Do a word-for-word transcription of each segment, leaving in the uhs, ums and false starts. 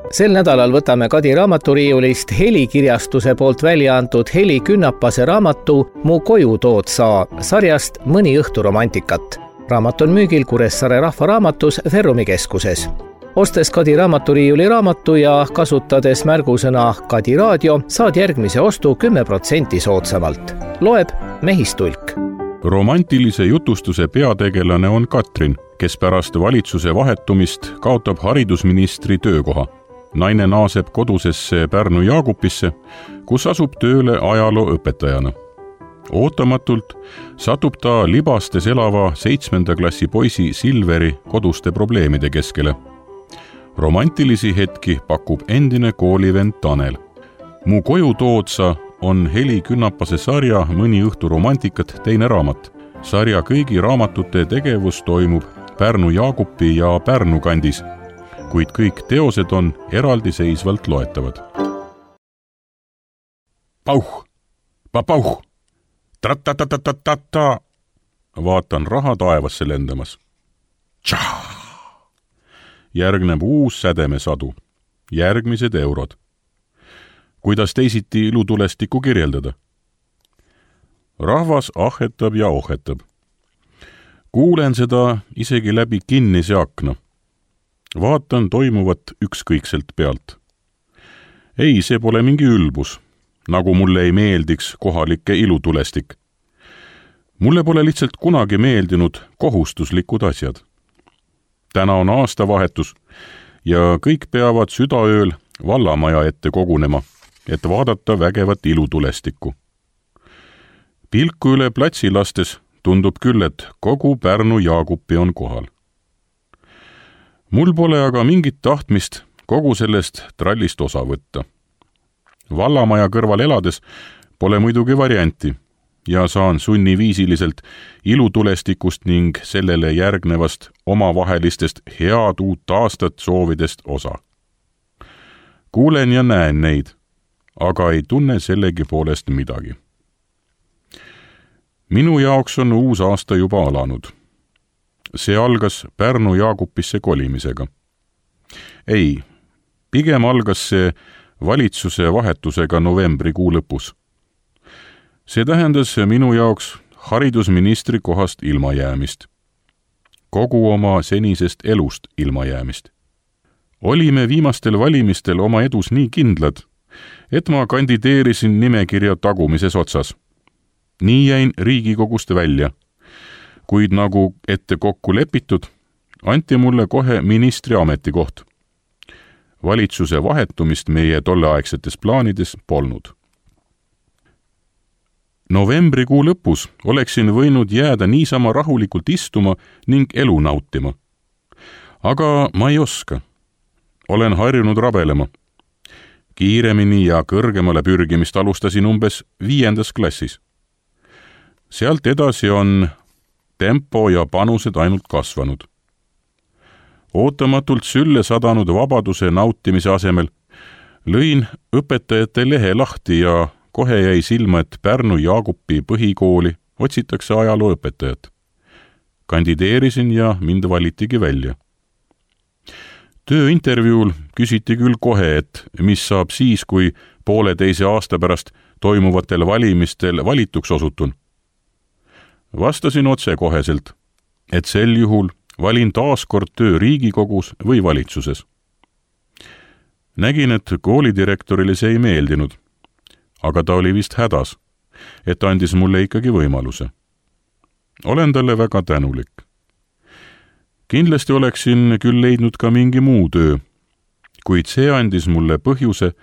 Sel nädalal võtame Kadi raamaturiiulist Helikirjastuse poolt välja antud Heli Künnapase raamatu Mu koju tood sa sarjast Mõni õhtu romantikat. Raamat on müügil Kuressaare rahvaraamatus Ferrumi keskuses. Ostes Kadi raamaturiiuli raamatu ja kasutades märgusõna Kadi raadio, saad järgmise ostu kümme protsenti soodsamalt. Loeb Mehistulk. Romantilise jutustuse peategelane on Katrin, kes pärast valitsuse vahetumist kaotab haridusministri töökoha. Naine naaseb kodusesse Pärnu Jaagupisse, kus asub tööle ajalooõpetajana. Ootamatult satub ta Libastes elava seitsmenda klassi poisi Silveri koduste probleemide keskele. Romantilisi hetki pakub endine koolivend Tanel. Mu koju tood sa on Heli Künnapase sarja Mõni õhtu romantikat teine raamat. Sarja kõigi raamatute tegevus toimub Pärnu Jaagupi ja Pärnu kandis, kuid kõik teosed on eraldiseisvalt loetavad. Pauh, papauh, tratatatatata, vaatan raha taevasse lendamas. Tšaa! Järgneb uus sädemesadu, järgmised eurod. Kuidas teisiti ilutulestikku kirjeldada? Rahvas ahetab ja ohetab. Kuulen seda isegi läbi kinnise akna. Vaatan toimuvat ükskõikselt pealt. Ei, see pole mingi ülbus, nagu mulle ei meeldiks kohalike ilutulestik. Mulle pole lihtsalt kunagi meeldinud kohustuslikud asjad. Täna on aastavahetus ja kõik peavad südaööl vallamaja ette kogunema, et vaadata vägevat ilutulestikku. Pilku üle platsi lastes tundub küll, et kogu Pärnu Jaagupi on kohal. Mul pole aga mingit tahtmist kogu sellest trallist osa võtta. Vallamaja kõrval elades pole muidugi varianti ja saan sunniviisiliselt ilutulestikust ning sellele järgnevast omavahelistest head uut aastat soovidest osa. Kuulen ja näen neid, aga ei tunne sellegi poolest midagi. Minu jaoks on uus aasta juba alanud. See algas Pärnu Jaagupisse kolimisega. Ei, pigem algas see valitsuse vahetusega novembrikuu lõpus. See tähendas minu jaoks haridusministri kohast ilmajäämist. Kogu oma senisest elust ilmajäämist. Olime viimastel valimistel oma edus nii kindlad, et ma kandideerisin nimekirja tagumises otsas. Nii jäin Riigikogust välja. Kuid nagu ette kokku lepitud, anti mulle kohe ministri ametikoht. Valitsuse vahetumist meie tolleaegsetes plaanides polnud. Novembrikuu lõpus oleksin võinud jääda niisama rahulikult istuma ning elu nautima. Aga ma ei oska. Olen harjunud rabelema. Kiiremini ja kõrgemale pürgimist alustasin umbes viiendas klassis. Sealt edasi on tempo ja panused ainult kasvanud. Ootamatult sülle sadanud vabaduse nautimise asemel lõin õpetajate lehe lahti ja kohe jäi silma, et Pärnu Jaagupi põhikooli otsitakse ajalooõpetajat. Kandideerisin ja mind valitigi välja. Tööintervjuul küsiti küll kohe, et mis saab siis, kui pooleteise aasta pärast toimuvatel valimistel valituks osutun. Vastasin otse koheselt, et sel juhul valin taaskord töö Riigikogus või valitsuses. Nägin, et koolidirektorile see ei meeldinud, aga ta oli vist hädas, et andis mulle ikkagi võimaluse. Olen talle väga tänulik. Kindlasti oleksin küll leidnud ka mingi muu töö, kuid see andis mulle põhjuse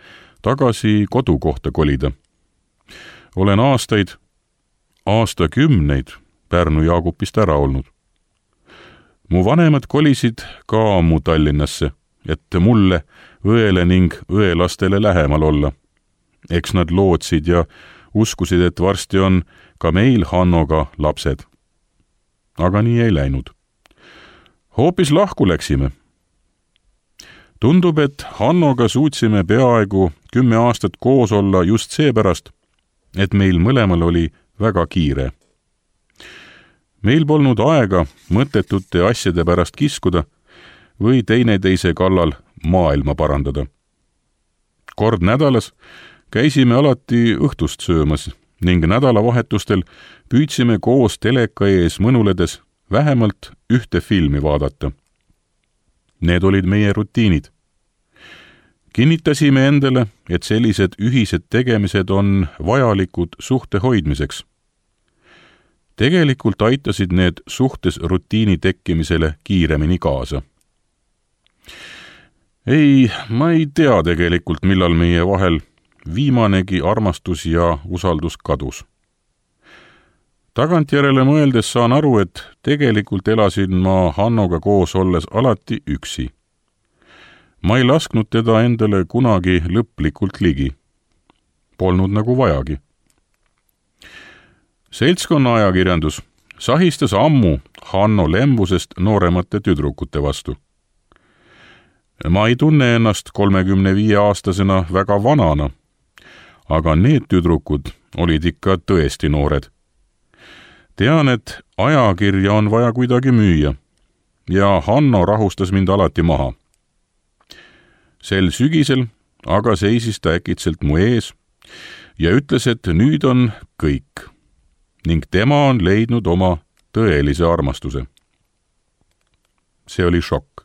tagasi kodukohta kolida. Olen aastaid aastakümneid Pärnu Jaagupist ära olnud. Mu vanemad kolisid ka ammu Tallinnasse, et mulle, õele ning õelastele lähemal olla. Eks nad lootsid ja uskusid, et varsti on ka meil Hannoga lapsed. Aga nii ei läinud. Hoopis lahku läksime. Tundub, et Hannoga suutsime peaaegu kümme aastat koos olla just seepärast, et meil mõlemal oli väga kiire. Meil polnud aega mõttetute asjade pärast kiskuda või teineteise kallal maailma parandada. Kord nädalas käisime alati õhtust söömas ning nädalavahetustel püüdsime koos teleka ees mõnuledes vähemalt ühte filmi vaadata. Need olid meie rutiinid. Kinnitasime endale, et sellised ühised tegemised on vajalikud suhte hoidmiseks. Tegelikult aitasid need suhtes rutiini tekkimisele kiiremini kaasa. Ei, ma ei tea tegelikult, millal meie vahel viimanegi armastus ja usaldus kadus. Tagantjärele mõeldes saan aru, et tegelikult elasin ma Hannoga koos olles alati üksi. Ma ei lasknud teda endale kunagi lõplikult ligi. Polnud nagu vajagi. Seltskonna ajakirjandus sahistas ammu Hanno lembusest nooremate tüdrukute vastu. Ma ei tunne ennast kolmekümne viie aastasena väga vanana, aga need tüdrukud olid ikka tõesti noored. Tean, et ajakirja on vaja kuidagi müüa ja Hanno rahustas mind alati maha. Sel sügisel aga seisis ta äkitselt mu ees ja ütles, et nüüd on kõik ning tema on leidnud oma tõelise armastuse. See oli šokk.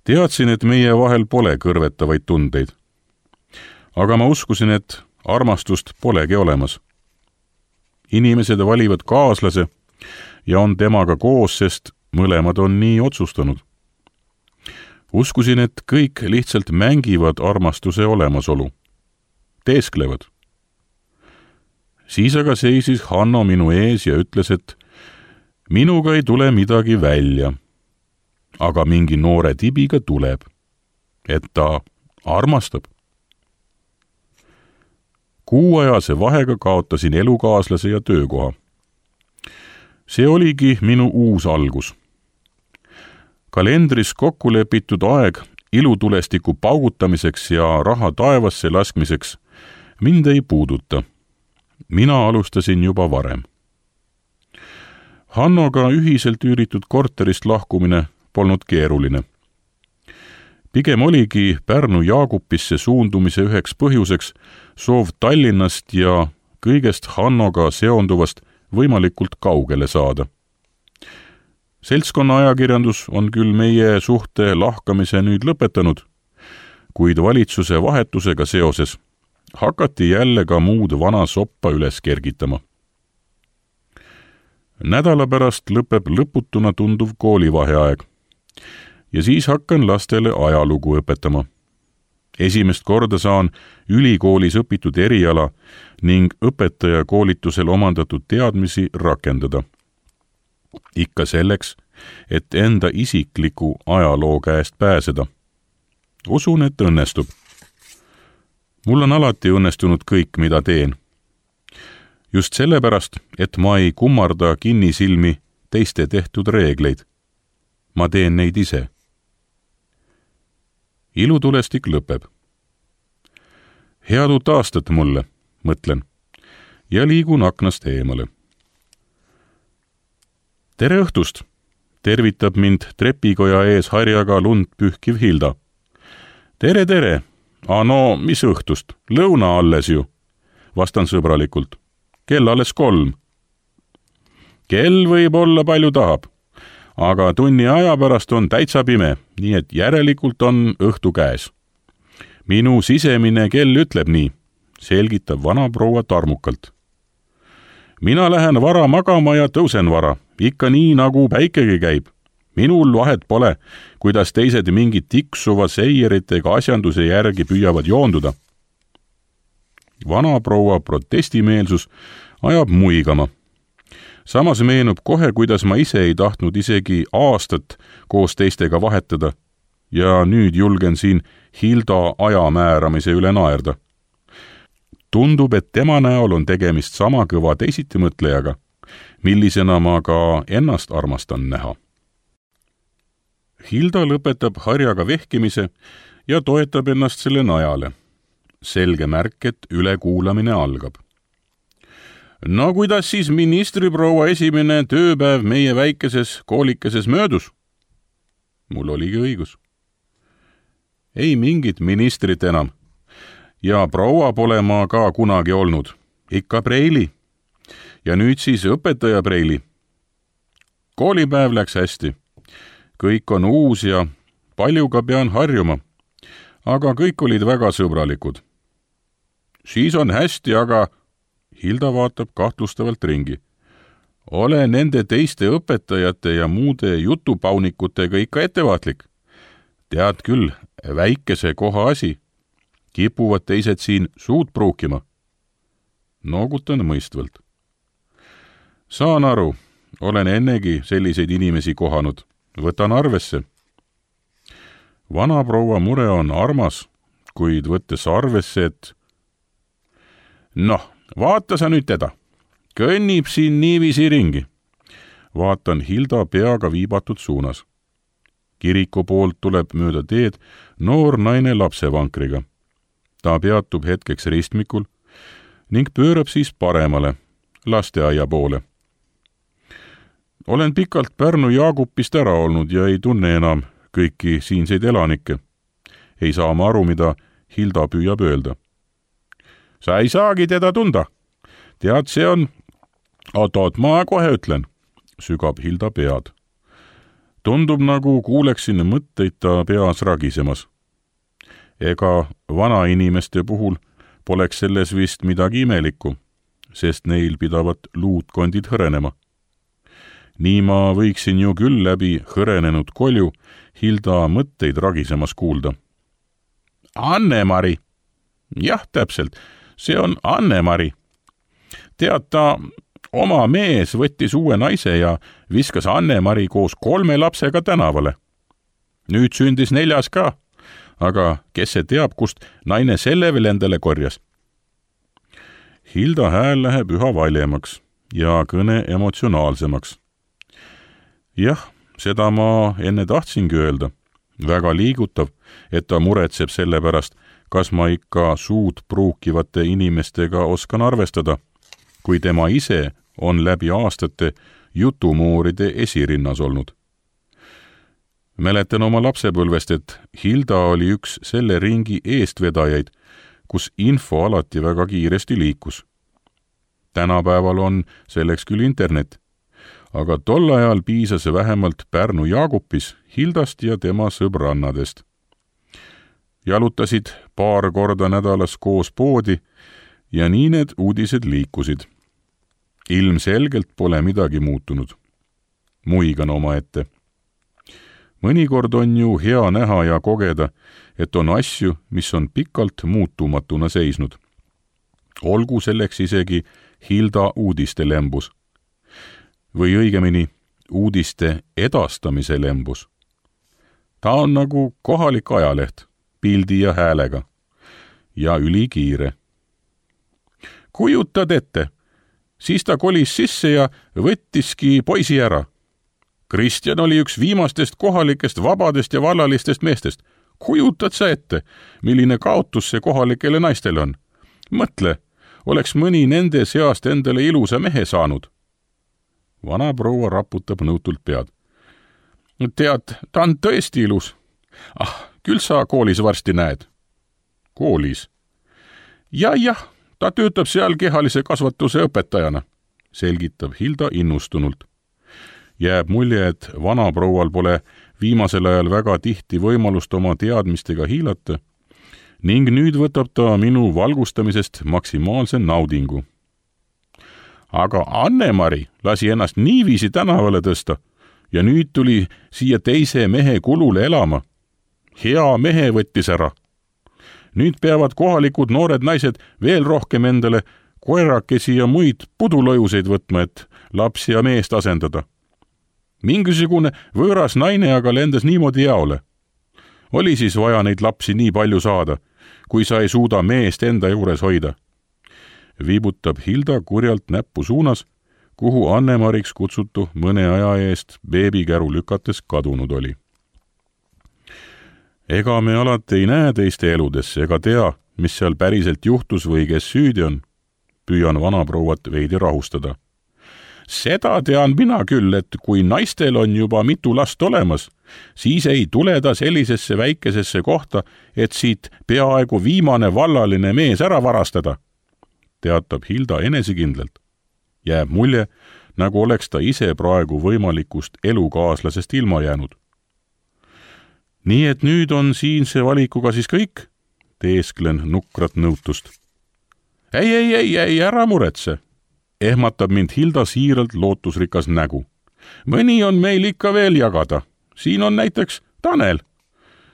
Teadsin, et meie vahel pole kõrvetavaid tundeid, aga ma uskusin, et armastust polegi olemas. Inimesed valivad kaaslase ja on temaga koos, sest mõlemad on nii otsustanud. Uskusin, et kõik lihtsalt mängivad armastuse olemasolu. Teesklevad. Siis aga seisis Hanno minu ees ja ütles, et minuga ei tule midagi välja, aga mingi noore tibiga tuleb, et ta armastab. Kuuajase vahega kaotasin elukaaslase ja töökoha. See oligi minu uus algus. Kalendris kokku lepitud aeg ilutulestiku paugutamiseks ja raha taevasse laskmiseks mind ei puuduta. Mina alustasin juba varem. Hannoga ühiselt üüritud korterist lahkumine polnud keeruline. Pigem oligi Pärnu Jaagupisse suundumise üheks põhjuseks soov Tallinnast ja kõigest Hannoga seonduvast võimalikult kaugele saada. Seltskonna ajakirjandus on küll meie suhte lahkamise nüüd lõpetanud, kuid valitsuse vahetusega seoses hakati jälle ka muud vana soppa üles kergitama. Nädala pärast lõpeb lõputuna tunduv koolivaheaeg ja siis hakkan lastele ajalugu õpetama. Esimest korda saan ülikoolis õpitud eriala ning õpetaja koolitusel omandatud teadmisi rakendada. Ikka selleks, et enda isikliku ajaloo käest pääseda. Usun, et õnnestub. Mul on alati õnnestunud kõik, mida teen. Just sellepärast, et ma ei kummarda kinnisilmi teiste tehtud reegleid. Ma teen neid ise. Ilutulestik lõpeb. Head uut aastat mulle, mõtlen, ja liigun aknast eemale. Tere õhtust, tervitab mind trepikoja ees harjaga lund pühkiv Hilda. Tere, tere, a no mis õhtust, lõuna alles ju, vastan sõbralikult. Kell alles kolm. Kell võib olla palju tahab, aga tunni aja pärast on täitsa pime, nii et järelikult on õhtu käes. Minu sisemine kell ütleb nii, selgitab vana proua tarmukalt. Mina lähen vara magama ja tõusen vara, ikka nii nagu päikegi käib. Minul vahet pole, kuidas teised mingid tiksuva seieritega asjanduse järgi püüavad joonduda. Vana proua protestimeelsus ajab muigama. Samas meenub kohe, kuidas ma ise ei tahtnud isegi aastat koos teistega vahetada ja nüüd julgen siin Hilda aja määramise üle naerda. Tundub, et tema näol on tegemist sama kõva teisitimõtlejaga, millisena ma ka ennast armastan näha. Hilda lõpetab harjaga vehkimise ja toetab ennast selle najale. Selge märk, et ülekuulamine algab. No kuidas siis ministriproua esimene tööpäev meie väikeses koolikeses möödus? Mul oligi õigus. ei mingit ministrit enam. Ja proua pole ma ka kunagi olnud. Ikka Preili. Ja nüüd siis õpetaja Preili. Koolipäev läks hästi. Kõik on uus ja paljuga pean harjuma. Aga kõik olid väga sõbralikud. Siis on hästi, aga Hilda vaatab kahtlustavalt ringi. Ole nende teiste õpetajate ja muude jutupaunikutega ikka ettevaatlik. Tead küll, väikese koha asi. Kipuvad teised siin suud pruukima. Noogutan mõistvalt. Saan aru, olen ennegi selliseid inimesi kohanud. Võtan arvesse. Vanaproua mure on armas, kuid võttes arvesse, et noh, vaata sa nüüd teda. Kõnnib siin niiviisi ringi. Vaatan Hilda peaga viibatud suunas. Kiriku poolt tuleb mööda teed noor naine lapsevankriga. Ta peatub hetkeks ristmikul ning pöörab siis paremale, lasteaia poole. Olen pikalt Pärnu Jaagupist ära olnud ja ei tunne enam kõiki siinseid elanikke. Ei saa ma aru, mida Hilda püüab öelda. Sa ei saagi teda tunda. Tead, see on... Oot-oot, ma kohe ütlen, sügab Hilda pead. Tundub nagu kuuleksin mõtteid ta peas ragisemas. Ega vana inimeste puhul poleks selles vist midagi imelikku, sest neil pidavat luutkondid hõrenema. Nii ma võiksin ju küll läbi hõrenenud kolju Hilda mõtteid ragisemas kuulda. Anne-Mari. Jah, täpselt, see on Anne-Mari. Tead, ta oma mees võttis uue naise ja viskas Anne-Mari koos kolme lapsega tänavale. Nüüd sündis neljas ka, aga kes see teab, kust naine selle veel endale korjas? Hilda hääl läheb üha valjemaks ja kõne emotsionaalsemaks. Jah, seda ma enne tahtsingi öelda. Väga liigutav, et ta muretseb selle pärast, kas ma ikka suud pruukivate inimestega oskan arvestada, kui tema ise on läbi aastate jutumuuride esirinnas olnud. Mäletan oma lapsepõlvest, et Hilda oli üks selle ringi eestvedajaid, kus info alati väga kiiresti liikus. Tänapäeval on selleks küll internet, aga tol ajal piisas vähemalt Pärnu Jaagupis Hildast ja tema sõbrannadest. Jalutasid paar korda nädalas koos poodi ja nii need uudised liikusid. Ilmselgelt pole midagi muutunud. Muigan oma ette. Mõnikord on ju hea näha ja kogeda, et on asju, mis on pikalt muutumatuna seisnud. Olgu selleks isegi Hilda uudiste lembus. Või õigemini uudiste edastamise lembus. Ta on nagu kohalik ajaleht, pildi ja häälega. Ja ülikiire. Kujutad ette, siis ta kolis sisse ja võttiski poisi ära. Kristjan oli üks viimastest kohalikest vabadest ja vallalistest meestest. Kujutad sa ette, milline kaotus see kohalikele naistele on? Mõtle, oleks mõni nende seast endale ilusa mehe saanud. Vana proua raputab nõutult pead. Tead, ta on tõesti ilus. Ah, küll sa koolis varsti näed. Koolis? Ja, jah, ta töötab seal kehalise kasvatuse õpetajana, selgitab Hilda innustunult. Jääb mulje, et vanaproual pole viimasel ajal väga tihti võimalust oma teadmistega hiilata ning nüüd võtab ta minu valgustamisest maksimaalse naudingu. Aga Anne-Mari lasi ennast niiviisi tänavale tõsta ja nüüd tuli siia teise mehe kulule elama. Hea mehe võttis ära. Nüüd peavad kohalikud noored naised veel rohkem endale koerakesi ja muid pudulõjuseid võtma, et lapsi ja meest asendada. Mingisugune võõras naine aga lendas niimoodi jaole. Oli siis vaja neid lapsi nii palju saada, kui sa ei suuda meest enda juures hoida. Viibutab Hilda kurjalt näppu suunas, kuhu Anne-Mariks kutsutu mõne aja eest beebikäru lükates kadunud oli. Ega me alati ei näe teiste eludesse ega tea, mis seal päriselt juhtus või kes süüdi on. Püüan vanaprouat veidi rahustada. Seda tean mina küll, et kui naistel on juba mitu last olemas, siis ei tule ta sellisesse väikesesse kohta, et siit peaaegu viimane vallaline mees ära varastada, teatab Hilda enesekindlalt. Jääb mulje, nagu oleks ta ise praegu võimalikust elukaaslasest ilma jäänud. Nii et nüüd on siinse valikuga siis kõik, teesklen nukrat nõutust. Ei, ei, ei, ei, ära muretse, ehmatab mind Hilda siiralt lootusrikas nägu. Mõni on meil ikka veel jagada. Siin on näiteks Tanel.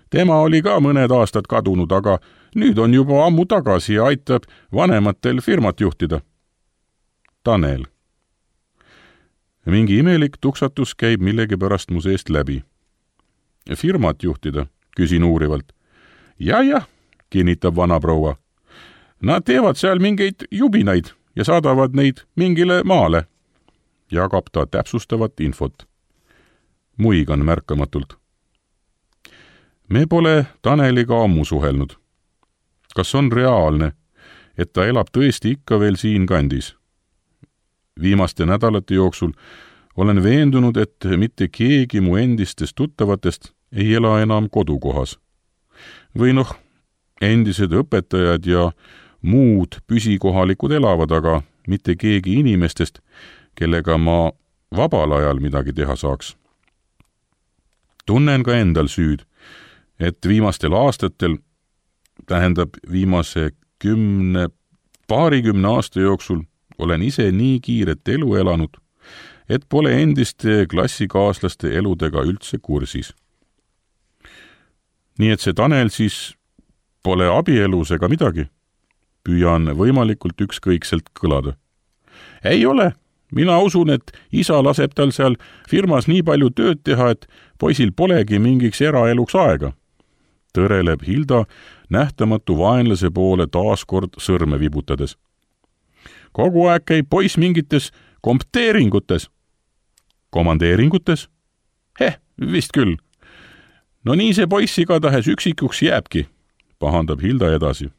Tema oli ka mõned aastad kadunud, aga nüüd on juba ammu tagasi ja aitab vanematel firmat juhtida. Tanel. Mingi imelik tuksatus käib millegipärast mu seest läbi. Firmat juhtida, küsin uurivalt. Ja, jah, kinnitab vana proua. Nad teevad seal mingeid jubinaid ja saadavad neid mingile maale. Jagab ta täpsustavat infot. Muigan märkamatult. Me pole Taneliga ammu suhelnud. Kas on reaalne, et ta elab tõesti ikka veel siin kandis? Viimaste nädalate jooksul olen veendunud, et mitte keegi mu endistest tuttavatest ei ela enam kodukohas. Või noh, endised õpetajad ja muud püsikohalikud elavad, aga mitte keegi inimestest, kellega ma vabal ajal midagi teha saaks. Tunnen ka endal süüd, et viimastel aastatel, tähendab viimase kümne, paarikümne aasta jooksul olen ise nii kiiret elu elanud, et pole endiste klassikaaslaste eludega üldse kursis. Nii et see Tanel siis pole abielus ega midagi. Püüan võimalikult ükskõikselt kõlada. Ei ole. Mina usun, et isa laseb tal seal firmas nii palju tööd teha, et poisil polegi mingiks eraeluks aega. Tõreleb Hilda nähtamatu vaenlase poole taaskord sõrme vibutades. Kogu aeg käib poiss mingites kompteeringutes. Komandeeringutes? Heh, vist küll. No nii see poiss igatahes üksikuks jääbki, pahandab Hilda edasi.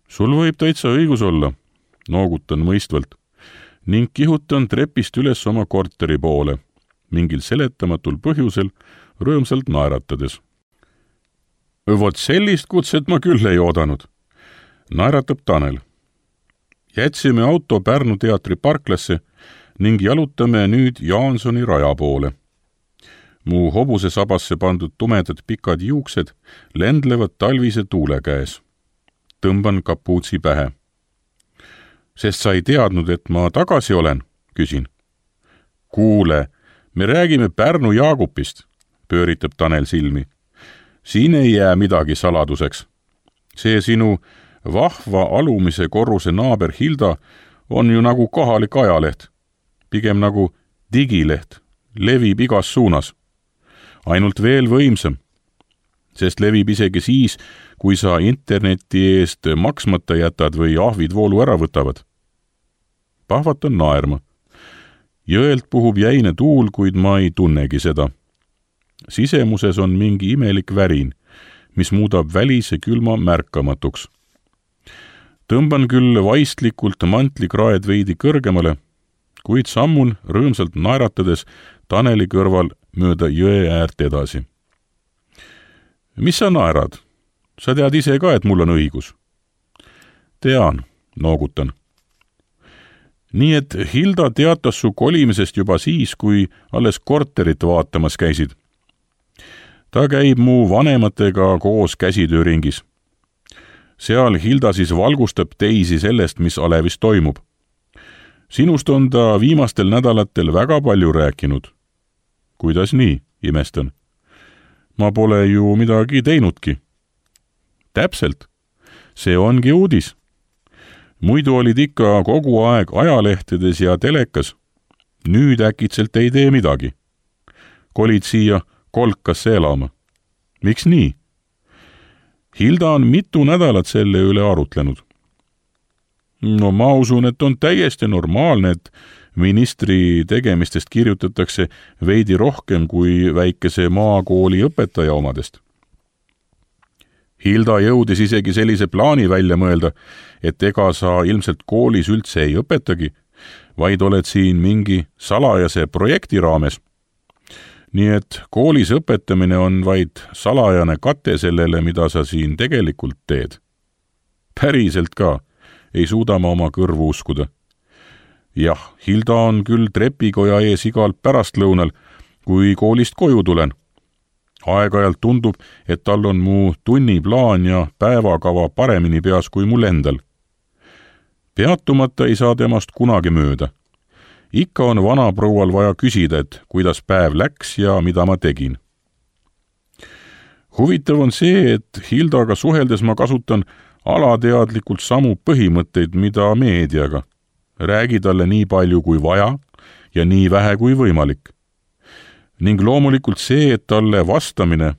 Sul võib täitsa õigus olla, noogutan mõistvalt, ning kihutan trepist üles oma korteri poole, mingil seletamatul põhjusel rõõmsalt naeratades. Vot sellist kutset ma küll ei oodanud, naeratab Tanel. Jätsime auto Pärnu teatri parklasse ning jalutame nüüd Jaansoni raja poole. Mu hobuse sabasse pandud tumedad pikad juuksed lendlevad talvise tuule käes. Tõmban kapuutsi pähe. Sest sa ei teadnud, et ma tagasi olen, küsin. Kuule, me räägime Pärnu Jaagupist, pööritab Tanel silmi. Siin ei jää midagi saladuseks. See sinu vahva alumise korruse naaber Hilda on ju nagu kohalik ajaleht. Pigem nagu digileht, levib igas suunas. Ainult veel võimsam, sest levib isegi siis, kui sa interneti eest maksmata jätad või ahvid voolu ära võtavad. Pahvatan naerma. Jõelt puhub jäine tuul, kuid ma ei tunnegi seda. Sisemuses on mingi imelik värin, mis muudab välise külma märkamatuks. Tõmban küll vaistlikult mantlikraed veidi kõrgemale, kuid sammun rõõmsalt naeratades Taneli kõrval mööda jõe äärt edasi. Mis sa naerad? Sa tead ise ka, et mul on õigus. Tean, noogutan. Nii et Hilda teatas su kolimisest juba siis, kui alles korterit vaatamas käisid. Ta käib mu vanematega koos käsitööringis. Seal Hilda siis valgustab teisi sellest, mis alevis toimub. Sinust on ta viimastel nädalatel väga palju rääkinud. Kuidas nii, imestan? Ma pole ju midagi teinudki. Täpselt. See ongi uudis. Muidu olid ikka kogu aeg ajalehtedes ja telekas. Nüüd äkitselt ei tee midagi. Kolid siia kolkasse elama. Miks nii? Hilda on mitu nädalat selle üle arutlenud. No ma usun, et on täiesti normaalne, et ministri tegemistest kirjutatakse veidi rohkem kui väikese maakooli õpetaja omadest. Hilda jõudis isegi sellise plaani välja mõelda, et ega sa ilmselt koolis üldse ei õpetagi, vaid oled siin mingi salajase projekti raames. nii et koolis õpetamine on vaid salajane kate sellele, mida sa siin tegelikult teed. Päriselt ka, ei suuda ma oma kõrvu uskuda. Jah, Hilda on küll trepikoja ees igal pärastlõunal, kui koolist koju tulen. Aeg-ajalt tundub, et tal on mu tunniplaan ja päevakava paremini peas kui mul endal. Peatumata ei saa temast kunagi mööda. Ikka on vanaproual vaja küsida, et kuidas päev läks ja mida ma tegin. Huvitav on see, et Hildaga suheldes ma kasutan alateadlikult samu põhimõtteid, mida meediaga. Räägi talle nii palju kui vaja ja nii vähe kui võimalik. Ning loomulikult see, et talle vastamine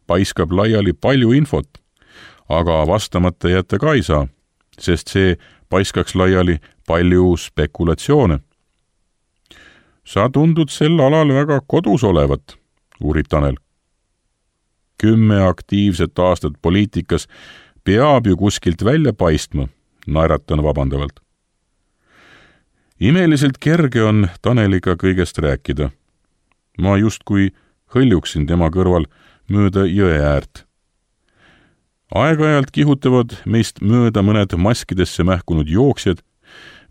paiskab laiali palju infot, aga vastamata jätta ka ei saa, sest see paiskaks laiali palju spekulatsioone. Sa tundud sel alal väga kodus olevat, uurib Tanel. Kümme aktiivset aastat poliitikas peab ju kuskilt välja paistma, naeratan vabandavalt. Imeliselt kerge on Taneliga kõigest rääkida. Ma justkui hõljuksin tema kõrval mööda jõe äärt. Aeg-ajalt kihutavad meist mööda mõned maskidesse mähkunud jooksjad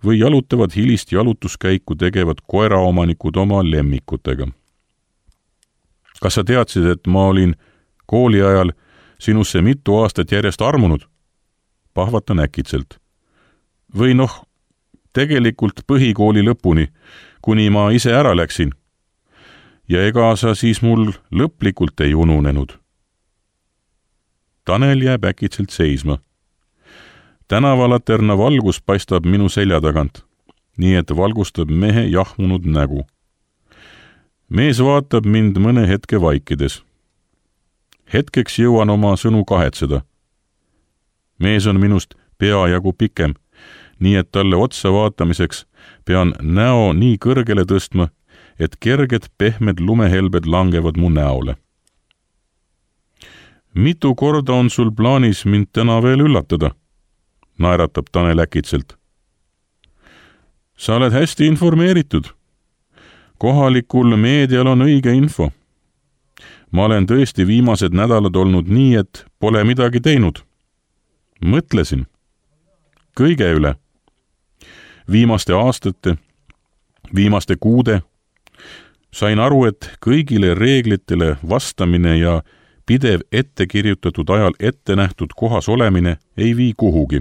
või jalutavad hilist jalutuskäiku tegevad koeraomanikud oma lemmikutega. Kas sa teadsid, et ma olin kooli ajal sinusse mitu aastat järjest armunud? Pahvatan äkitselt. Või noh, tegelikult põhikooli lõpuni, kuni ma ise ära läksin. Ja ega sa siis mul lõplikult ei ununenud. Tanel jääb äkitselt seisma. Tänavalaterna valgus paistab minu selja tagant, nii et valgustab mehe jahmunud nägu. Mees vaatab mind mõne hetke vaikides. Hetkeks jõuan oma sõnu kahetseda. Mees on minust peajagu pikem, nii et talle otsa vaatamiseks pean näo nii kõrgele tõstma, et kerged pehmed lumehelbed langevad mu näole. Mitu korda on sul plaanis mind täna veel üllatada? Naeratab Tanel äkitselt. Sa oled hästi informeeritud. Kohalikul meedial on õige info. Ma olen tõesti viimased nädalad olnud nii, et pole midagi teinud. Mõtlesin. Kõige üle. Viimaste aastate, viimaste kuude. Sain aru, et kõigile reeglitele vastamine ja pidev ettekirjutatud ajal ette nähtud kohas olemine ei vii kuhugi.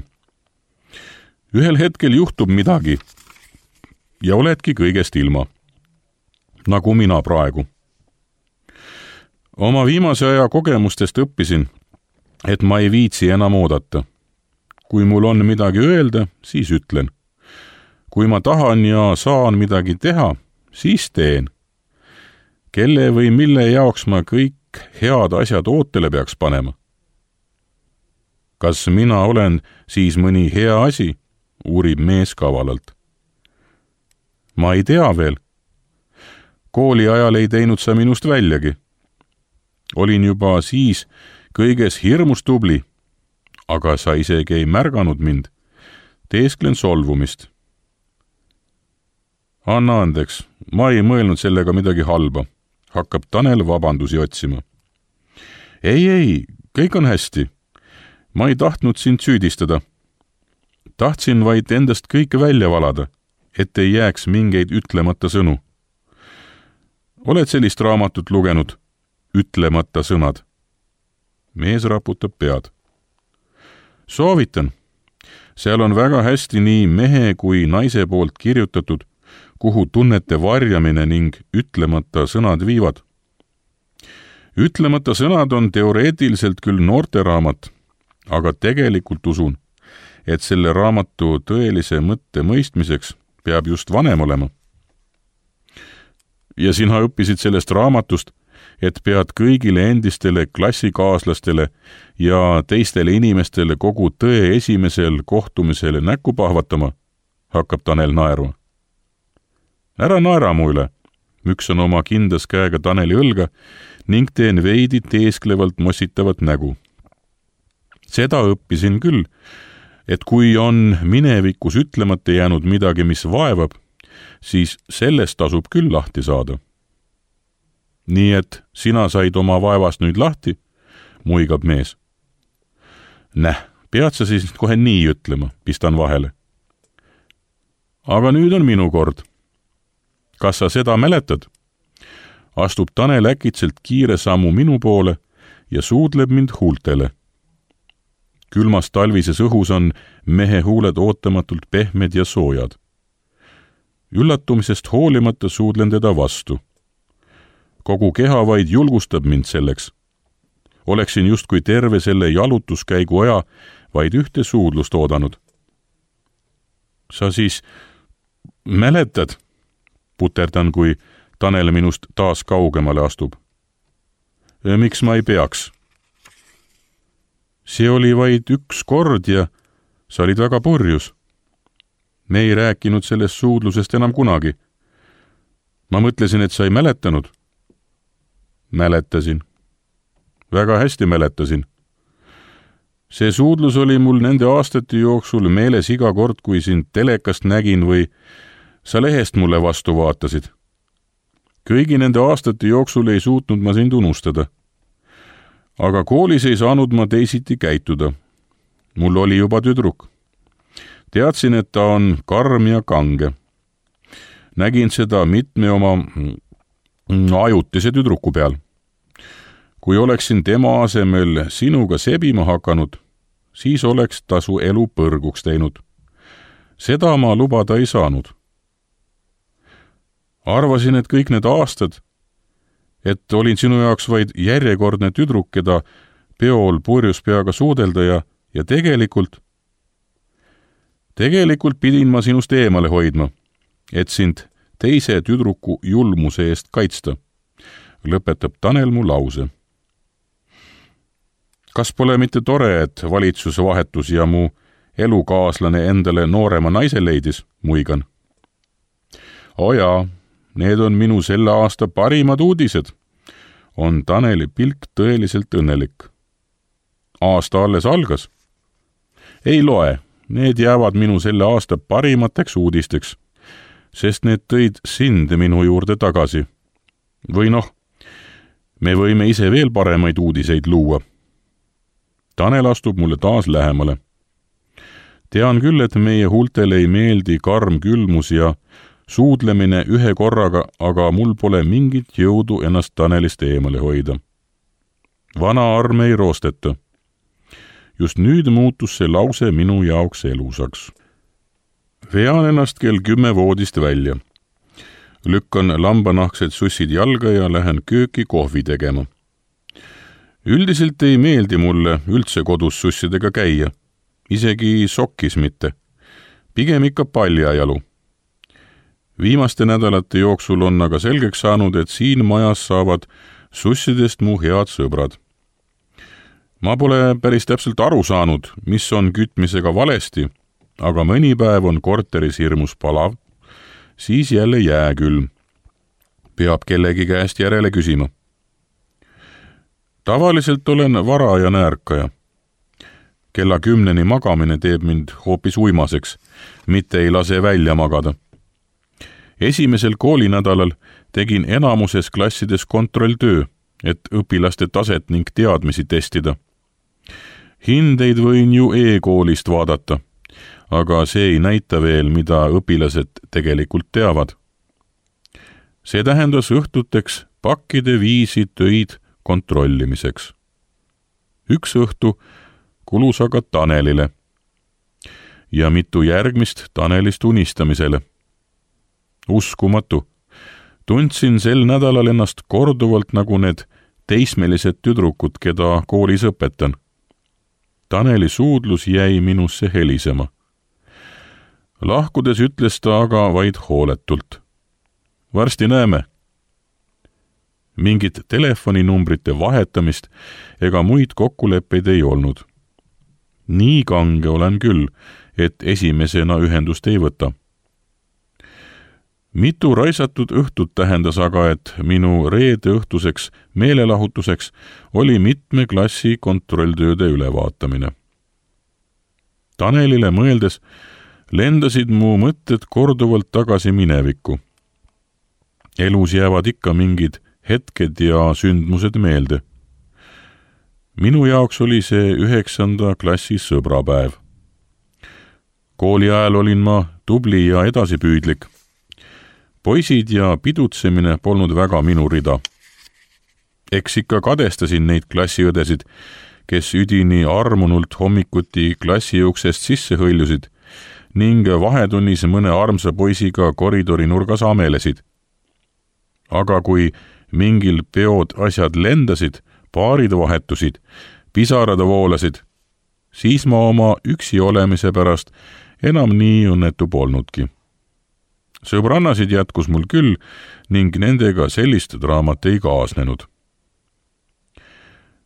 Ühel hetkel juhtub midagi ja oledki kõigest ilma, nagu mina praegu. Oma viimase aja kogemustest õppisin, et ma ei viitsi enam oodata. Kui mul on midagi öelda, siis ütlen. Kui ma tahan ja saan midagi teha, siis teen. Kelle või mille jaoks ma kõik head asjad ootele peaks panema? Kas mina olen siis mõni hea asi, uurib mees kavalalt. Ma ei tea veel. Kooli ajal ei teinud sa minust väljagi. Olin juba siis kõiges hirmus tubli, aga sa isegi ei märganud mind. Teesklen solvumist. Anna andeks, ma ei mõelnud sellega midagi halba. Hakkab Tanel vabandusi otsima. Ei, ei, kõik on hästi. Ma ei tahtnud sind süüdistada. Tahtsin vaid endast kõike välja valada, et ei jääks mingeid ütlemata sõnu. Oled sellist raamatut lugenud? Ütlemata sõnad. Mees raputab pead. Soovitan. Seal on väga hästi nii mehe kui naise poolt kirjutatud, kuhu tunnete varjamine ning ütlemata sõnad viivad. Ütlemata sõnad on teoreetiliselt küll noorteraamat, aga tegelikult usun, et selle raamatu tõelise mõtte mõistmiseks peab just vanem olema. Ja sina õppisid sellest raamatust, et pead kõigile endistele klassikaaslastele ja teistele inimestele kogu tõe esimesel kohtumisele näkku pahvatama, hakkab Tanel naerma. Ära naera mu üle, müksan oma kindas käega Taneli õlga ning teen veidi teesklevalt mossitavat nägu. Seda õppisin küll, et kui on minevikus ütlemata jäänud midagi, mis vaevab, siis sellest tasub küll lahti saada. nii et sina said oma vaevast nüüd lahti, muigab mees. Näh, pead sa siis kohe nii ütlema, pistan vahele. Aga nüüd on minu kord. Kas sa seda mäletad? Astub Tanel äkitselt kiire sammu minu poole ja suudleb mind huultele. Külmas talvises õhus on mehe huuled ootamatult pehmed ja soojad. Üllatumisest hoolimata suudlen teda vastu. Kogu keha vaid julgustab mind selleks. Oleksin justkui terve selle jalutuskäigu aja vaid ühte suudlust oodanud. Sa siis mäletad? Puterdan, kui Tanel minust taas kaugemale astub. Miks ma ei peaks? See oli vaid üks kord ja sa olid väga purjus. Me ei rääkinud sellest suudlusest enam kunagi. Ma mõtlesin, et sa ei mäletanud. Mäletasin. Väga hästi mäletasin. See suudlus oli mul nende aastate jooksul meeles iga kord, kui sind telekast nägin või sa lehest mulle vastu vaatasid. Kõigi nende aastate jooksul ei suutnud ma sind unustada. Aga koolis ei saanud ma teisiti käituda. Mul oli juba tüdruk. Teadsin, et ta on karm ja kange. Nägin seda mitme oma ajutise tüdruku peal. Kui oleksin tema asemel sinuga sebima hakanud, siis oleks ta su elu põrguks teinud. Seda ma lubada ei saanud. Arvasin, et kõik need aastad, et olin sinu jaoks vaid järjekordne tüdruk, keda peol purjus peaga suudelda ja, ja tegelikult, tegelikult pidin ma sinust eemale hoidma, et sind teise tüdruku julmuse eest kaitsta, lõpetab Tanel mu lause. Kas pole mitte tore, et valitsuse vahetus ja mu elukaaslane endale noorema naise leidis, muigan? O jaa, need on minu selle aasta parimad uudised. On Taneli pilk tõeliselt õnnelik. Aasta alles algas. Ei loe, need jäävad minu selle aasta parimateks uudisteks, sest need tõid sind minu juurde tagasi. Või noh, me võime ise veel paremaid uudiseid luua. Tanel astub mulle taas lähemale. Tean küll, et meie huultele ei meeldi karm külmus ja suudlemine ühe korraga, aga mul pole mingit jõudu ennast Tanelist eemale hoida. Vana arm ei roosteta. Just nüüd muutus see lause minu jaoks elusaks. Vean ennast kell kümme voodist välja. Lükkan lambanahksed sussid jalga ja lähen kööki kohvi tegema. Üldiselt ei meeldi mulle üldse kodus sussidega käia. Isegi sokkis mitte. Pigem ikka paljajalu. Viimaste nädalate jooksul on aga selgeks saanud, et siin majas saavad sussidest mu head sõbrad. Ma pole päris täpselt aru saanud, mis on kütmisega valesti, aga mõni päev on korteris hirmus palav, siis jälle jääkülm. Peab kellegi käest järele küsima. Tavaliselt olen varajane ärkaja. Kella kümneni magamine teeb mind hoopis uimaseks, mitte ei lase välja magada. Esimesel koolinädalal tegin enamuses klassides kontrolltöö, et õpilaste taset ning teadmisi testida. Hindeid võin ju e-koolist vaadata, aga see ei näita veel, mida õpilased tegelikult teavad. See tähendas õhtuteks pakkide viisi töid kontrollimiseks. Üks õhtu kulus aga Tanelile ja mitu järgmist Tanelist unistamisele. Uskumatu. Tundsin sel nädalal ennast korduvalt nagu need teismelised tüdrukud, keda koolis õpetan. Taneli suudlus jäi minusse helisema. Lahkudes ütles ta aga vaid hooletult. Varsti näeme. Mingit telefoninumbrite vahetamist ega muid kokkuleppeid ei olnud. Nii kange olen küll, et esimesena ühendust ei võta. Mitu raisatud õhtut tähendas aga, et minu reede õhtuseks meelelahutuseks oli mitme klassi kontrolltööde ülevaatamine. Tanelile mõeldes lendasid mu mõtted korduvalt tagasi minevikku. Elus jäävad ikka mingid hetked ja sündmused meelde. Minu jaoks oli see üheksanda klassi sõbrapäev. Kooli ajal olin ma tubli ja edasipüüdlik. Poisid ja pidutsemine polnud väga minu rida. Eks ikka kadestasin neid klassiõdesid, kes üdini armunult hommikuti klassi uksest sisse hõljusid ning vahetunnis mõne armsa poisiga koridori nurgas amelesid. Aga kui mingil peod asjad lendasid, paarid vahetusid, pisarad voolasid, siis ma oma üksi olemise pärast enam nii õnnetu polnudki. Sõbrannasid jätkus mul küll ning nendega sellist draamat ei kaasnenud.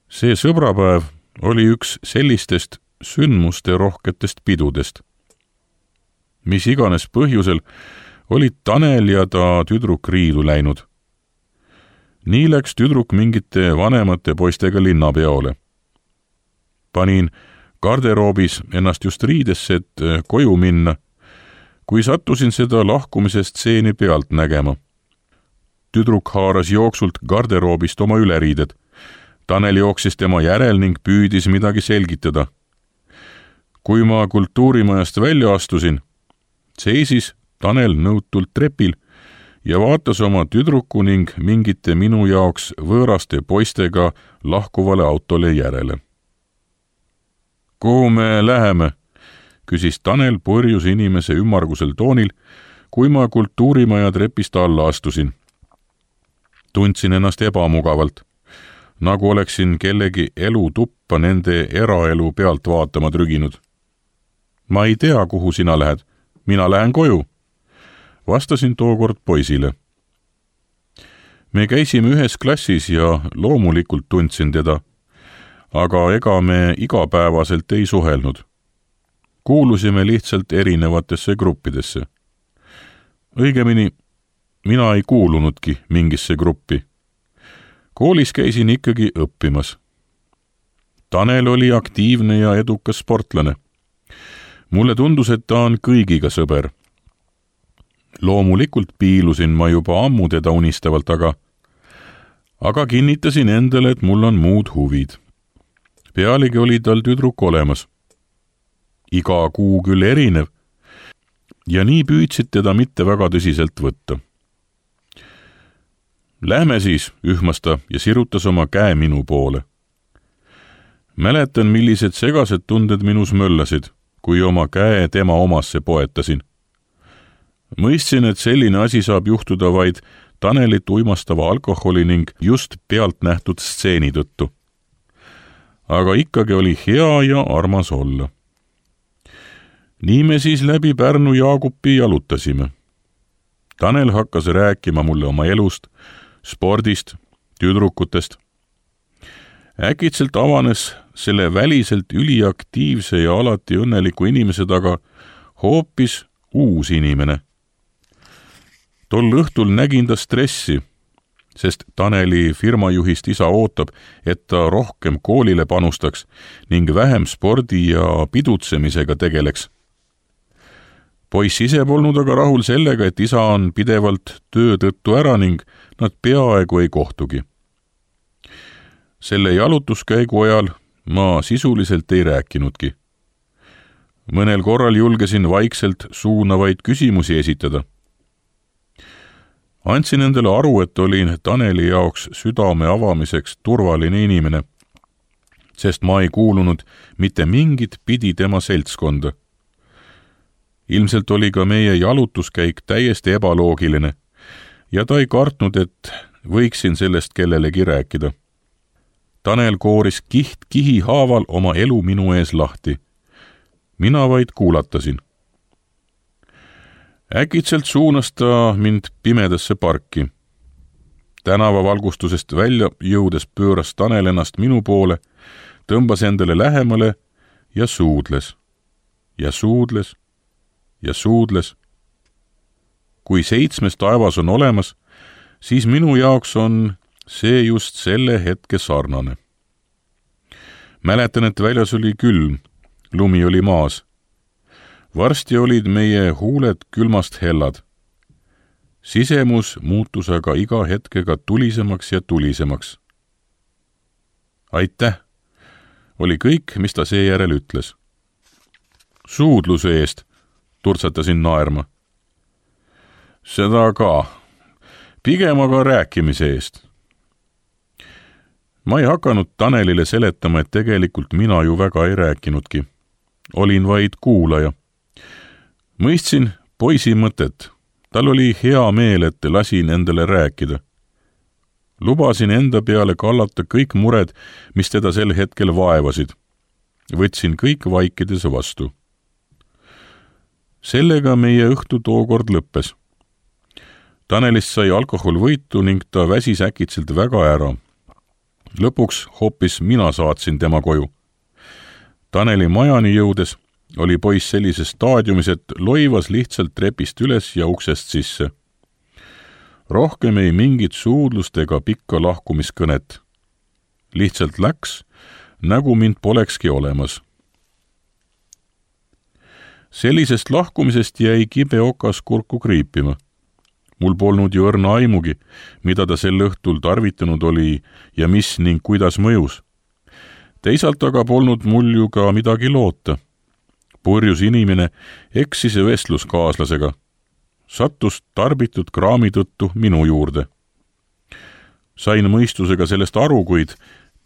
See sõbrapäev oli üks sellistest sündmuste rohketest pidudest. Mis iganes põhjusel olid Tanel ja ta tüdruk riidu läinud. Nii läks tüdruk mingite vanemate poistega linnapeole. Panin garderoobis ennast just riidesse, et koju minna, kui sattusin seda lahkumise stseeni pealt nägema. Tüdruk haaras jooksult garderoobist oma üleriided. Tanel jooksis tema järel ning püüdis midagi selgitada. Kui ma kultuurimajast välja astusin, seisis Tanel nõutult trepil ja vaatas oma tüdruku ning mingite minu jaoks võõraste poistega lahkuvale autole järele. Kuhu me läheme? Küsis Tanel purjus inimese ümmargusel toonil, kui ma kultuurimaja trepist alla astusin. Tundsin ennast ebamugavalt, nagu oleksin kellegi elu tuppa nende eraelu pealt vaatama trüginud. Ma ei tea, kuhu sina lähed. Mina lähen koju. Vastasin tookord poisile. Me käisime ühes klassis ja loomulikult tundsin teda, aga ega me igapäevaselt ei suhelnud. Kuulusime lihtsalt erinevatesse gruppidesse. Õigemini, mina ei kuulunudki mingisse gruppi. Koolis käisin ikkagi õppimas. Tanel oli aktiivne ja edukas sportlane. Mulle tundus, et ta on kõigiga sõber. Loomulikult piilusin ma juba ammu teda unistavalt, aga, aga kinnitasin endale, et mul on muud huvid. Pealegi oli tal tüdruk olemas. Iga kuu küll erinev ja nii püüdsid teda mitte väga tõsiselt võtta. Lähme siis, ühmas ta ja sirutas oma käe minu poole. Mäletan, millised segased tunded minus möllasid, kui oma käe tema omasse poetasin. Mõistsin, et selline asi saab juhtuda vaid Tanelit uimastava alkoholi ning just pealt nähtud stseeni tõttu. Aga ikkagi oli hea ja armas olla. Nii me siis läbi Pärnu Jaagupi jalutasime. Tanel hakkas rääkima mulle oma elust, spordist, tüdrukutest. Äkitselt avanes selle väliselt üliaktiivse ja alati õnneliku inimese taga hoopis uus inimene. Tol õhtul nägin ta stressi, sest Taneli firmajuhist isa ootab, et ta rohkem koolile panustaks ning vähem spordi ja pidutsemisega tegeleks. Poiss ise polnud aga rahul sellega, et isa on pidevalt töö tõttu ära ning nad peaaegu ei kohtugi. Selle jalutuskäigu ajal ma sisuliselt ei rääkinudki. Mõnel korral julgesin vaikselt suunavaid küsimusi esitada. Andsin endale aru, et olin Taneli jaoks südame avamiseks turvaline inimene, sest ma ei kuulunud mitte mingit pidi tema seltskonda. Ilmselt oli ka meie jalutuskäik täiesti ebaloogiline ja ta ei kartnud, et võiksin sellest kellelegi rääkida. Tanel kooris kiht kihi haaval oma elu minu ees lahti. Mina vaid kuulatasin. Äkitselt suunas ta mind pimedasse parki. Tänavavalgustusest välja jõudes pööras Tanel ennast minu poole, tõmbas endale lähemale ja suudles. Ja suudles. Ja suudles. Kui seitsmes taevas on olemas, siis minu jaoks on see just selle hetke sarnane. Mäletan, et väljas oli külm, lumi oli maas. Varsti olid meie huuled külmast hellad. sisemus muutus aga iga hetkega tulisemaks ja tulisemaks. Aitäh, oli kõik, mis ta seejärel ütles. Suudluse eest, turtsatasin naerma. Seda ka, pigem aga rääkimise eest. Ma ei hakanud Tanelile seletama, et tegelikult mina ju väga ei rääkinudki. Olin vaid kuulaja. Mõistsin poisi mõtet. Tal oli hea meel, et lasin endale rääkida. Lubasin enda peale kallata kõik mured, mis teda sel hetkel vaevasid. Võtsin kõik vaikides vastu. Sellega meie õhtu tookord lõppes. Tanelist sai alkohol võitu ning ta väsis äkitselt väga ära. Lõpuks hoopis mina saatsin tema koju. Taneli majani jõudes oli poiss sellises staadiumis, et loivas lihtsalt trepist üles ja uksest sisse. Rohkem ei mingit suudlust ega pikka lahkumiskõnet. Lihtsalt läks, nagu mind polekski olemas. Sellisest lahkumisest jäi kibe okas kurku kriipima. Mul polnud ju õrna aimugi, mida ta sel õhtul tarvitanud oli ja mis ning kuidas mõjus. Teisalt aga polnud mul ju ka midagi loota. Purjus inimene eksis vestluskaaslasega. Sattus tarbitud kraami tõttu minu juurde. Sain mõistusega sellest aru, kuid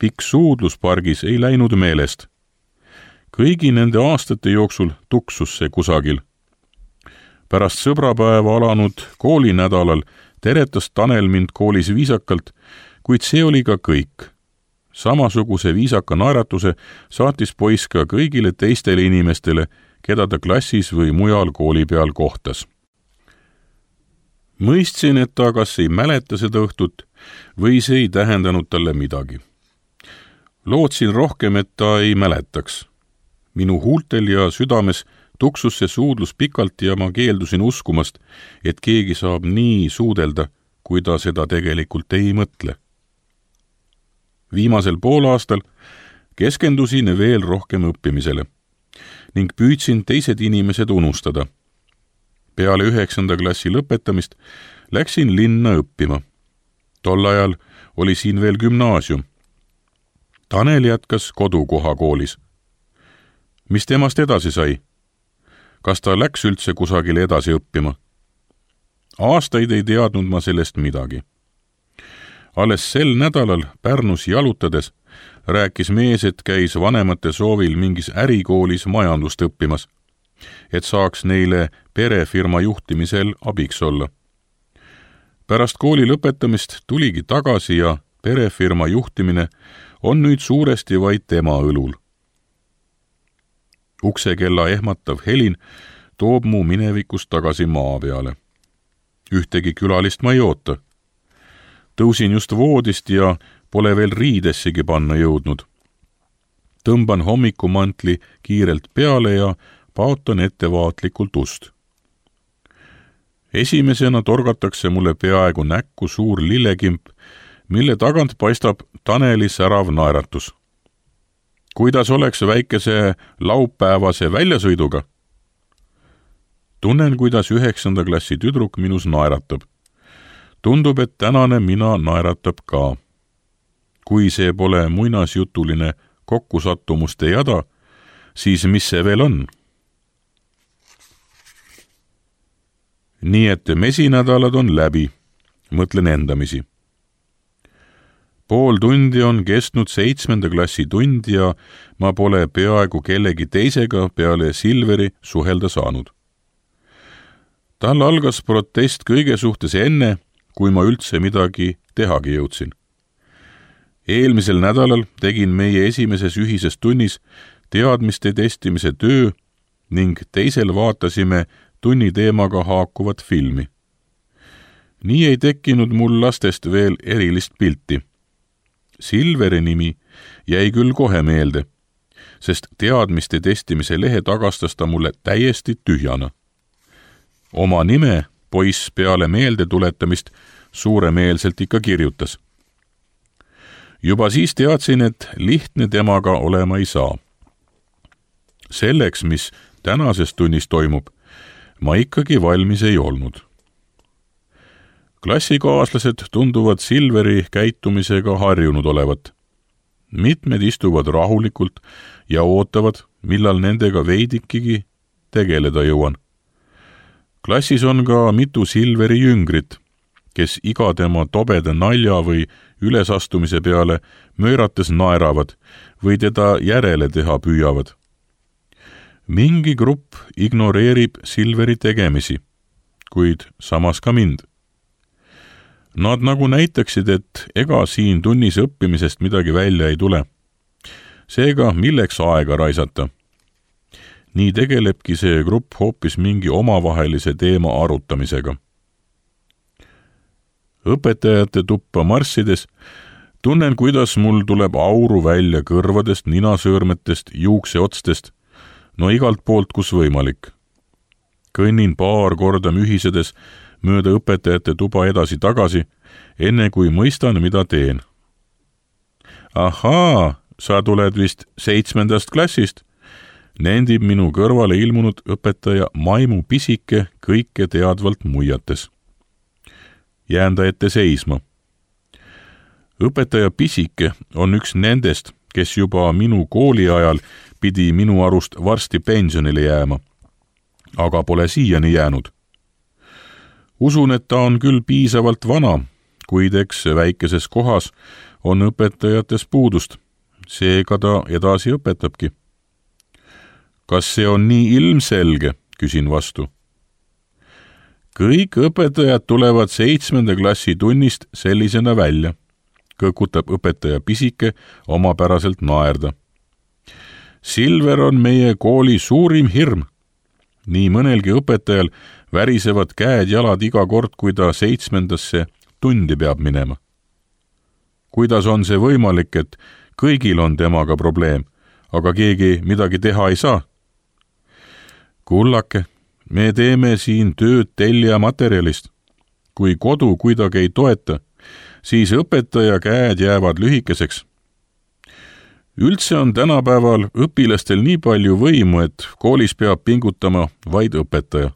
pikk suudluspargis ei läinud meelest. Kõigi nende aastate jooksul tuksus see kusagil. Pärast sõbrapäeva alanud koolinädalal teretas Tanel mind koolis viisakalt, kuid see oli ka kõik. Samasuguse viisaka naeratuse saatis poiss ka kõigile teistele inimestele, keda ta klassis või mujal kooli peal kohtas. Mõistsin, et ta kas ei mäleta seda õhtut või see ei tähendanud talle midagi. Lootsin rohkem, et ta ei mäletaks. Minu huultel ja südames tuksus see suudlus pikalt ja ma keeldusin uskumast, et keegi saab nii suudelda, kui ta seda tegelikult ei mõtle. Viimasel poolaastal keskendusin veel rohkem õppimisele ning püüdsin teised inimesed unustada. Peale üheksanda klassi lõpetamist läksin linna õppima. Tol ajal oli siin veel gümnaasium. Tanel jätkas kodukoha koolis. Mis temast edasi sai? Kas ta läks üldse kusagile edasi õppima? Aastaid ei teadnud ma sellest midagi. Alles sel nädalal Pärnus jalutades rääkis mees, et käis vanemate soovil mingis ärikoolis majandust õppimas, et saaks neile perefirma juhtimisel abiks olla. Pärast kooli lõpetamist tuligi tagasi ja perefirma juhtimine on nüüd suuresti vaid tema õlul. Uksekella ehmatav helin toob mu minevikust tagasi maa peale. Ühtegi külalist ma ei oota. Tõusin just voodist ja pole veel riidessigi panna jõudnud. Tõmban hommikumantli kiirelt peale ja paotan ettevaatlikult ust. Esimesena torgatakse mulle peaaegu näkku suur lillekimp, mille tagant paistab Taneli särav naeratus. Kuidas oleks väikese laupäevase väljasõiduga? Tunnen, kuidas üheksanda klassi tüdruk minus naeratab. Tundub, et tänane mina naeratab ka. Kui see pole muinasjutuline kokkusattumuste jada, siis mis see veel on? Nii et mesinädalad on läbi, mõtlen endamisi. Pool tundi on kestnud seitsmenda klassi tund ja ma pole peaaegu kellegi teisega peale Silveri suhelda saanud. Tal algas protest kõige suhtes enne, kui ma üldse midagi tehagi jõudsin. Eelmisel nädalal tegin meie esimeses ühises tunnis teadmiste testimise töö ning teisel vaatasime tunni teemaga haakuvat filmi. Nii ei tekkinud mul lastest veel erilist pilti. Silveri nimi jäi küll kohe meelde, sest teadmiste testimise lehe tagastas ta mulle täiesti tühjana. Oma nime poiss peale meelde tuletamist suuremeelselt ikka kirjutas. Juba siis teadsin, et lihtne temaga olema ei saa. Selleks, mis tänases tunnis toimub, ma ikkagi valmis ei olnud. Klassikaaslased tunduvad Silveri käitumisega harjunud olevat. Mitmed istuvad rahulikult ja ootavad, millal nendega veidikigi tegeleda jõuan. Klassis on ka mitu Silveri jüngrit, kes iga tema tobeda nalja või ülesastumise peale möörates naeravad või teda järele teha püüavad. Mingi grupp ignoreerib Silveri tegemisi, kuid samas ka mind. Nad nagu näitaksid, et ega siin tunnis õppimisest midagi välja ei tule. Seega, milleks aega raisata? Nii tegelebki see grupp hoopis mingi omavahelise teema arutamisega. Õpetajate tuppa marssides tunnen, kuidas mul tuleb auru välja kõrvadest, ninasõõrmetest, juukseotstest, no igalt poolt, kus võimalik. Kõnnin paar korda mühisedes mööda õpetajate tuba edasi-tagasi, enne kui mõistan, mida teen. Ahaa, sa tuled vist seitsmendast klassist, nendib minu kõrvale ilmunud õpetaja Maimu pisike kõike teadvalt muiates. Jään ta ette seisma. Õpetaja pisike on üks nendest, kes juba minu kooli ajal pidi minu arust varsti pensionile jääma, aga pole siiani jäänud. Usun, et ta on küll piisavalt vana, kuid eks väikeses kohas on õpetajates puudust, seega ta edasi õpetabki. Kas see on nii ilmselge, küsin vastu. Kõik õpetajad tulevad seitsmenda klassi tunnist sellisena välja, kõkutab õpetaja pisike omapäraselt naerda. Silver on meie kooli suurim hirm. Nii mõnelgi õpetajal värisevad käed-jalad iga kord, kui ta seitsmendasse tundi peab minema. Kuidas on see võimalik, et kõigil on temaga probleem, aga keegi midagi teha ei saa? Kullake, me teeme siin tööd tellija materjalist. Kui kodu kuidagi ei toeta, siis õpetaja käed jäävad lühikeseks. Üldse on tänapäeval õpilastel nii palju võimu, et koolis peab pingutama vaid õpetaja.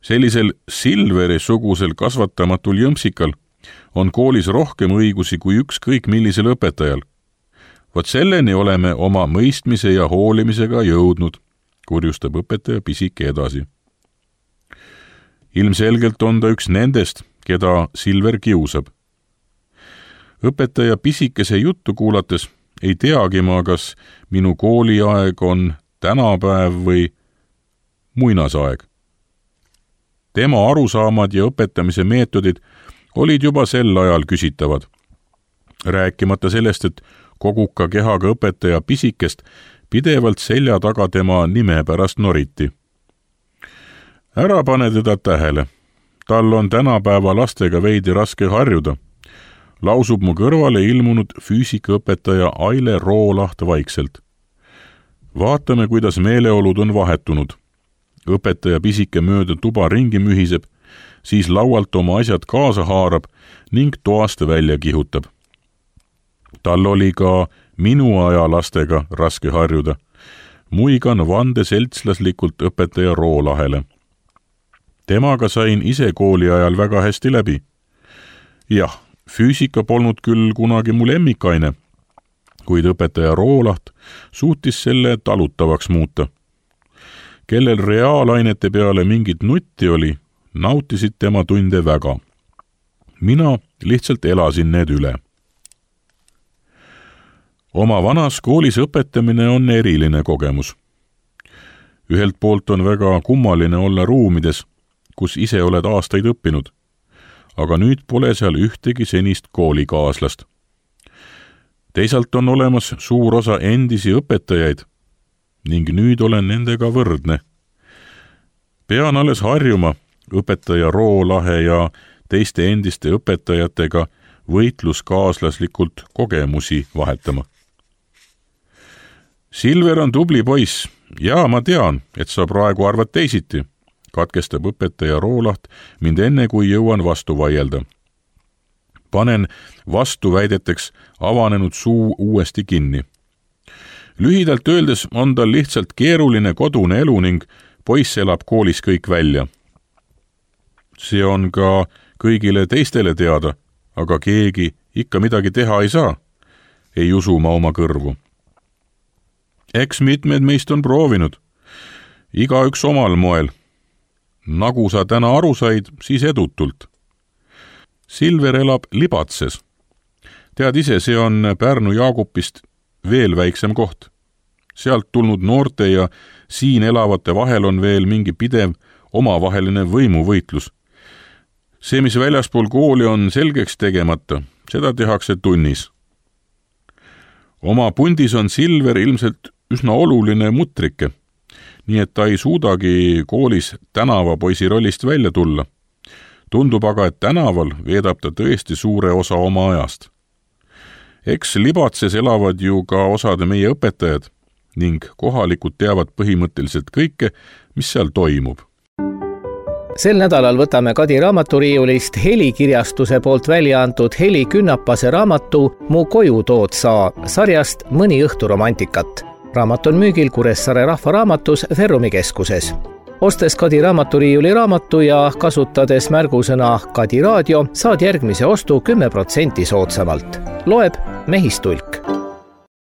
Sellisel Silveri-sugusel kasvatamatul jõmpsikal on koolis rohkem õigusi kui ükskõik millisel õpetajal. Vot selleni oleme oma mõistmise ja hoolimisega jõudnud, kurjustab õpetaja pisike edasi. Ilmselgelt on ta üks nendest, keda Silver kiusab. Õpetaja pisikese juttu kuulates ei teagi ma, kas minu kooliaeg on tänapäev või muinasaeg. Tema arusaamad ja õpetamise meetodid olid juba sel ajal küsitavad. Rääkimata sellest, et koguka kehaga õpetaja pisikest pidevalt selja taga tema nime pärast noriti. Ära pane teda tähele. Tal on tänapäeva lastega veidi raske harjuda. Lausub mu kõrvale ilmunud füüsikaõpetaja Aile Roolaht vaikselt. Vaatame, kuidas meeleolud on vahetunud. Õpetaja pisike mööda tuba ringi mühiseb, siis laualt oma asjad kaasa haarab ning toast välja kihutab. Tal oli ka minu aja lastega raske harjuda. Muigan vande seltslaslikult õpetaja Roolahele. Temaga sain ise kooli ajal väga hästi läbi. Jah, füüsika polnud küll kunagi mu lemmikaine, kuid õpetaja Roolaht suutis selle talutavaks muuta. Kellel reaalainete peale mingit nutti oli, nautisid tema tunde väga. Mina lihtsalt elasin need üle. Oma vanas koolis õpetamine on eriline kogemus. Ühelt poolt on väga kummaline olla ruumides, kus ise oled aastaid õppinud, aga nüüd pole seal ühtegi senist koolikaaslast. Teisalt on olemas suur osa endisi õpetajaid ning nüüd olen nendega võrdne. Pean alles harjuma õpetaja Roolahe ja teiste endiste õpetajatega võitluskaaslaslikult kogemusi vahetama. Silver on tubli poiss ja ma tean, et sa praegu arvad teisiti, katkestab õpetaja Roolaht mind enne, kui jõuan vastu vaielda. Panen vastuväideteks avanenud suu uuesti kinni. Lühidalt öeldes on tal lihtsalt keeruline kodune elu ning poiss elab koolis kõik välja. See on ka kõigile teistele teada, aga keegi ikka midagi teha ei saa, ei usu ma oma kõrvu. Eks mitmed meist on proovinud, igaüks omal moel. Nagu sa täna aru said, siis edutult. Silver elab Libatses. Tead ise, see on Pärnu Jaagupist veel väiksem koht. Sealt tulnud noorte ja siin elavate vahel on veel mingi pidev omavaheline võimuvõitlus. See, mis väljaspool kooli on selgeks tegemata, seda tehakse tunnis. Oma pundis on Silver ilmselt üsna oluline mutrike, nii et ta ei suudagi koolis tänavapoisi rollist välja tulla. Tundub aga, et tänaval veedab ta tõesti suure osa oma ajast. Eks Libatses elavad ju ka osad meie õpetajad ning kohalikud teavad põhimõtteliselt kõike, mis seal toimub. Sel nädalal võtame Kadi raamaturiiulist Helikirjastuse poolt välja antud Heli Künnapase raamatu Mu koju tood sa sarjast Mõni õhtu romantikat. Raamat on müügil Kuressaare rahvaraamatus Ferrumi keskuses. Ostes Kadi raamaturiiuli raamatu ja kasutades märgusõna Kadi raadio, saad järgmise ostu kümme protsenti soodsamalt. Loeb Mehistulk.